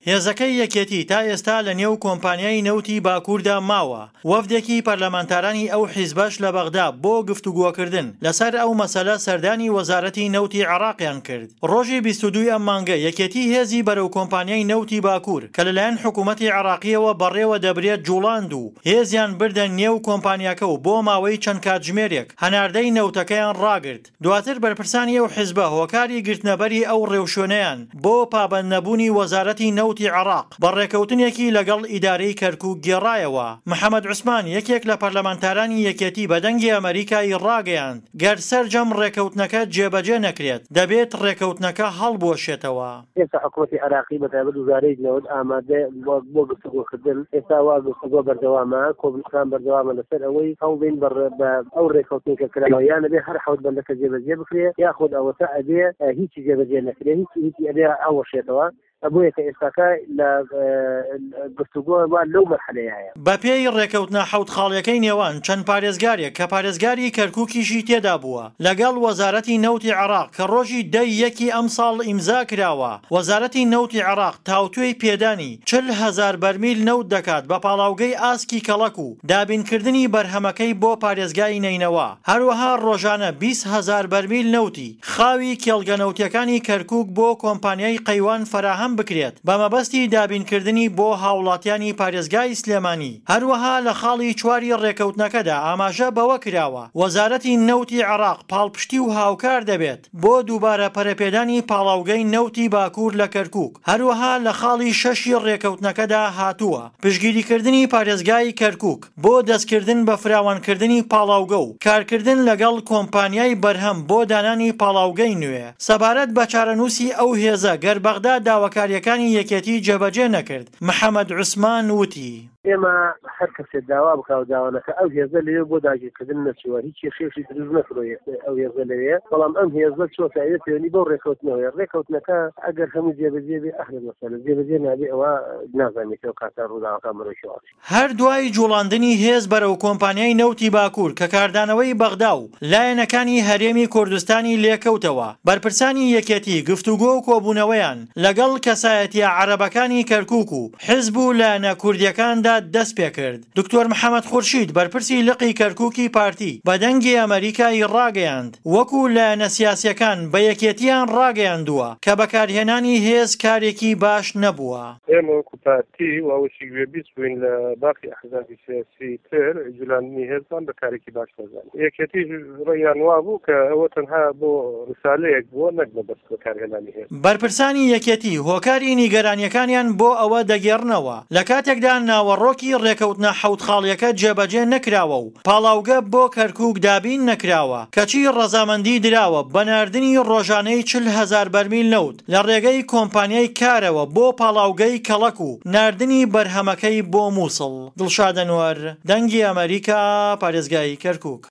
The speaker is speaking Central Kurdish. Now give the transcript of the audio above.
هێزەکەی یەکێتی تا ئێستا لە نێو کۆمپانیای نەوتی باکووردا ماوە، وەفدێکی پەرلەمانتارانی ئەو حیزبەش لە بەغدا بۆ گفتوگۆکردن لەسەر ئەو مەسەلە سەردانی وەزارەتی نەوتی عێراقیان کرد. ڕۆژی 22 ی ئەم مانگە یەکێتی هێزی بەرەو کۆمپانیای نەوتی باکوور کە لەلایەن حکوومەتی عێراقییەوە بەڕێوە دەبرێت جوڵاند و هێزیان بردە نێو کۆمپانیاکە و بۆ ماوەی چەند کاتژمێرێک هەناردەی نەوتەکەیان ڕاگرت. دواتر بەرپرسانی ئەو حیزبە هۆکاری گرتنەبەری ئەو ڕێوشوێنەیان بۆ پابەندنەبوونی وەزارەتی نەوتی عێراق بە ڕێکەوتنێکی لەگەڵ ئیدارەی کەرکوک گێڕایەوە. محەمەد عوسمان یەکێک لە پەرلەمانتارانی یەکێتی بە دەنگی ئەمەریکای ڕاگەیاند، گەر سەرجەم ڕێکەوتنەکە جێبەجێ نەکرێت، دەبێت ڕێکەوتنەکە هەڵبوەشێتەوە. ئێستا حکومەتی عێراقی بە تایبەت وزارەی نەوت ئامادەیە بۆ گفتوگۆکردن، ئێستا وا گفتوگۆ بەردەوامە، کۆبوونەوەکان بەردەوامە لەسەر ئەوەی هەوڵبین بە ئەو رێککەوتنەی کە کراوە یان ئەبێ هەر حەوت بەندەکە جێبەجێ بکرێ یاخود ئەوەتا ئەبێ هیچی جێبەجێ نەکرێ، هیچی هیچی ئەبێ هەڵوەشێتەوە. بۆیە کە ئێستاکە لە گفتوگۆ وا لەو مەرحەلەیایە. بەپێی ڕێکەوتنە حەوت خاڵیەکەی نێوان چەند پارێزگارێک کە پارێزگاری کەرکوکیشی تێدا بووە لەگەڵ وەزارەتی نەوتی عێراق کە ڕۆژی دە ی یەکی ئەمساڵ ئیمزا کراوە، وەزارەتی نەوتی عێراق تاوتوێی پێدانی 40,000 بەرمیل نەوت دەکات بە پاڵاوگەی ئاسکی کەڵەک و دابینکردنی بەرهەمەکەی بۆ پارێزگای نەینەوا، هەروەها ڕۆژانە 20,000 بەرمیل نەوتی خاوی کێڵگە نەوتیەکانی کەرکوک بۆ کۆمپانیای قەیوان فەراهەم بکرێت بە مەبەستی دابینکردنی بۆ هاوڵاتیانی پارێزگای سلێمانی. هەروەها لە خاڵی چواری ڕێکەوتنەکەدا ئاماژە بەوە کراوە، وەزارەتی نەوتی عێراق پاڵپشتی و هاوکار دەبێت بۆ دووبارە پەرەپێدانی پاڵاوگەی نەوتی باکوور لە کەرکوک. هەروەها لە خاڵی شەشی ڕێکەوتنەکەدا هاتووە، پشتگیریکردنی پارێزگای کەرکوک بۆ دەستکردن بە فراوانکردنی پاڵاوگە و کارکردن لەگەڵ کۆمپانیای بەرهەم بۆ دانانی پاڵاوگەی نوێ. سەبارەت بە چارەنووسی ئەو هێزە گەر بەغدا داواکارییەکانی یەکێتی جێبەجێ نەکرد، محەمەد عوسمان وتی. ئێمە هەر کەسێ داوا بکا و داوا نەکا ئەو هێزە لەوێ بۆ داگیرکردن نەچووە، هیچ کێشەیەکی دروست نەکردووە ئەو هێزە لەوێ، بەڵام ئەم هێزە چۆتە ئەوێ پەیوەندی بەو ڕێکەوتنەوەیە، ڕێکەوتنەکە ئەگەر هەموو جێبەجێ بێ ئەهلەن وەسەهلەن، جێبەجێ نابێ ئەوە نازانین کە ئەو کاتە ڕووداوەکان بەرەو کوێ ئەچن. هەر دوای جوڵاندنی هێز بەرەو کۆمپانیای نەوتی باکوور کە کاردانەوەی بەغدا و لایەنەکانی هەرێمی کوردستانی لێکەوتەوە، بەرپرسانی یەکێتی گفتوگۆ و کۆبوونەوەیان لەگەڵ کەسایەتییە عەرەبەکانی کەرکووک و حزب و لایەنە کوردییەکاندا دەستپێکرد. دکتۆر محەمەد خورشید بەرپرسی لقی کەرکووکی پارتی بە دەنگی ئەمەریکای ڕاگەیاند، وەکو لایەنە سیاسییەکان بە یەکێتییان ڕاگەیاندووە کە بەکارهێنانی هێز کارێکی باش نەبووە. ئێمە وەکو پارتی و ئەوەشی گوێبیست بووین لە باقی ئەحزابی سیاسی تر جولاندنی هێزمان بە کارێکی باش نەزانی. یەکێتیش ڕەیان وابوو کە ئەوە تەنها بۆ ڕسالەیەک بووە نەک مەبەست بەکارهێنانی هێز. بەرپرسانی یەکێتی هۆکاری نیگەرانییەکانیان بۆ ئەوە دەگێڕنەوە، لە کاتێکدا ناوەڕۆکی ڕێکەوتنە حەوت خاڵییەکە جێبەجێ نەکراوە و پاڵاوگە بۆ کەرکوک دابین نەکراوە، کەچی ڕەزامەندی دراوە بە ناردنی ڕۆژانەی 40,000 بەرمیل نەوت لە ڕێگەی کۆمپانیای کارەوە بۆ پاڵاوگەی کەڵەک و ناردنی بەرهەمەکەی بۆ موسڵ. دڵشاد ئەنوەر، دەنگی ئەمەریکا، پارێزگای کەرکوک.